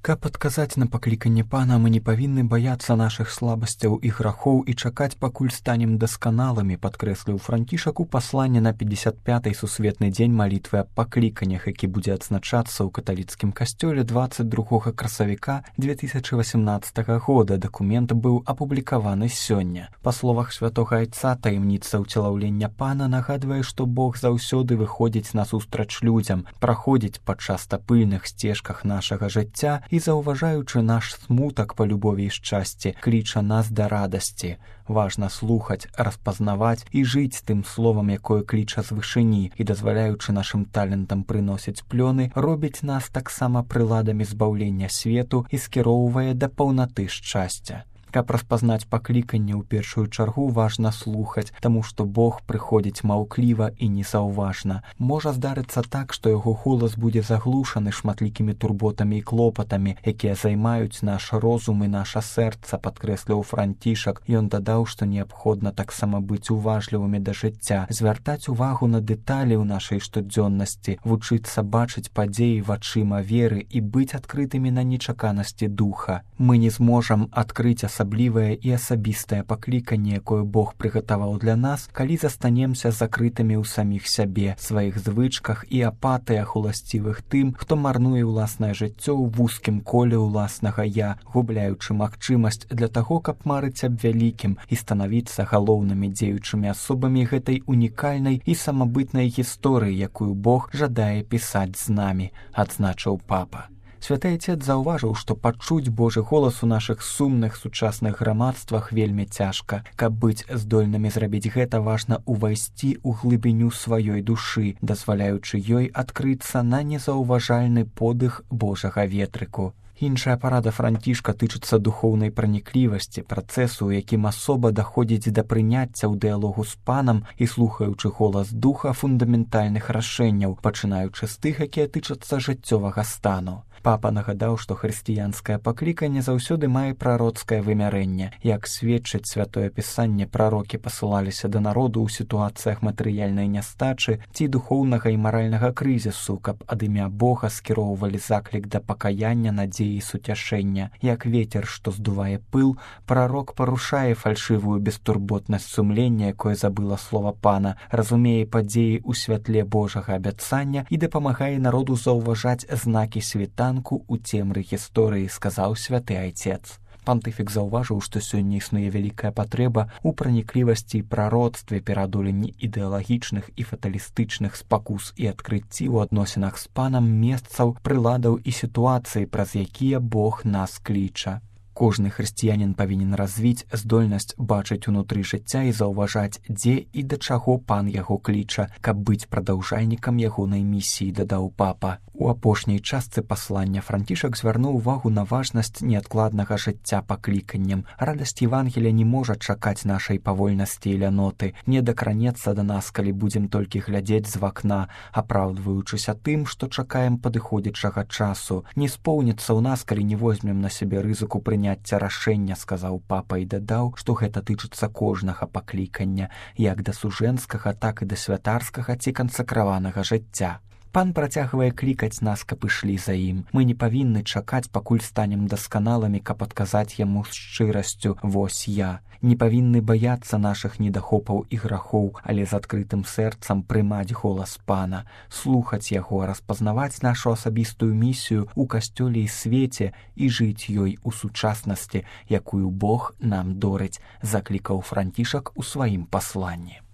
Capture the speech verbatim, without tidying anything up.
Каб адказаць на пакліканне Пана, мы не павінны баяцца нашых слабасцяў і грахоў і чакаць, пакуль станем дасканалымі, падкрэсліў Францішак у пасланні на пятьдесят пятый сусветны дзень малітвы аб пакліканнях, які будзе адзначацца ў каталіцкім касцёле двадцать другога красавіка две тысячи восемнадцатого года. Дакумент быў апублікаваны сёння. Па словах святога айца, таямніца ўцелаўлення Пана нагадвае, што Бог заўсёды выходзіць насустрач людзям, праходзіць па часта пыльных сцежках нашага жыцця і, заўважаючы наш смутак па любові і шчасці, кліча нас да радасці. Важна слухаць, распазнаваць і жыць тым словам, якое кліча з вышыні, і, дазваляючы нашым талентам прыносіць плёны, робіць нас таксама прыладамі збаўлення свету і скіроўвае да паўнаты шчасця. Каб распазнаць пакліканне, ў першую чаргу важна слухаць, таму што Бог прыходзіць маўкліва і незаўважна. Можа здарыцца так, што яго голас будзе заглушаны шматлікімі турботамі і клопатамі, якія займаюць наш розум і наша сэрца, падкрэсліў Францішак. Ён дадаў, што неабходна таксама быць уважлівымі да жыцця, звяртаць увагу на дэталі ў нашай штодзённасці, вучыцца бачыць падзеі вачыма веры і быць адкрытымі на нечаканасці духа. Мы не зможам адкрыць асаблівае і асабістае пакліканне, якое Бог прыгатаваў для нас, калі застанемся закрытымі ў саміх сябе, сваіх звычках і апатыях уласцівых тым, хто марнуе ўласнае жыццё ў вузкім коле ўласнага я, губляючы магчымасць для таго, каб марыць аб вялікім і станавіцца галоўнымі дзеючымі асобамі гэтай унікальнай і самабытнай гісторыі, якую Бог жадае пісаць з намі, адзначыў папа. Святы Айцец заўважыў, што пачуць Божы голас у нашых сумных сучасных грамадствах вельмі цяжка. Каб быць здольнымі зрабіць гэта, важна ўвайсці ў глыбіню сваёй душы, дазваляючы ёй адкрыцца на незаўважальны подых Божага ветрыку. Іншая парада Францішка тычыцца духоўнай праніклівасці, працэсу, у якім асоба даходзіць да прыняцця ў дыялогу з Панам і слухаючы голас духа фундаментальных рашэнняў, пачынаючы з тых, якія тычацца жыццёвага стану. Папа нагадаў, што хрысціянскае пакліканне заўсёды мае прароцкае вымярэнне. Як сведчыць святое пісанне, прарокі пасылаліся да народу ў сітуацыях матэрыяльнай нястачы ці духоўнага і маральнага крызісу, каб ад імя Бога скіроўвалі заклік да пакаяння, надзеі і суцяшэння. Як вецер, што здувае пыл, прарок парушае фальшывую бестурботнасць сумлення, якое забыла слова Пана, разумее падзеі ў святле Божага абяцання і дапамагае народу заўважаць знакі світанку у цемры гісторыі, сказаў святы Айцец. Пантыфік заўважыў, што сёння існуе вялікая патрэба ў праніклівасці і прароцтве, пераадоленні ідэалагічных і фаталістычных спакус і адкрыцці ў адносінах з Панам месцаў, прыладаў і сітуацый, праз якія Бог нас кліча. Кожны хрысціянін павінен развіць здольнасць бачыць унутры жыцця і заўважаць, дзе і да чаго Пан яго кліча, каб быць прадаўжальнікам ягонай місіі, дадаў папа. У апошняй частцы паслання Францішак звярнуў увагу на важнасць неадкладнага жыцця пакліканнем. Радасць Евангелія не можа чакаць нашай павольнасці і ляноты, не дакранецца да нас, калі будзем толькі глядзець з вакна, апраўдваючыся тым, што чакаем падыходзячага часу. Не споўніцца ў нас, калі не возьмем на сябе рызыку прыняцця рашэння, сказаў папа і дадаў, што гэта тычыцца кожнага паклікання, як да сужэнскага, так і да святарскага ці кансакраванага жыцця. Пан працягвае клікаць нас, каб ішлі за ім. Мы не павінны чакаць, пакуль станем дасканалымі, каб адказаць яму з шчырасцю «Вось я». Не павінны баяцца нашых недахопаў і грахоў, але з адкрытым сэрцам прымаць голас Пана, слухаць яго, распазнаваць нашу асабістую місію ў касцёле і свеце і жыць ёй у сучаснасці, якую Бог нам дорыць, заклікаў Францішак у сваім пасланні.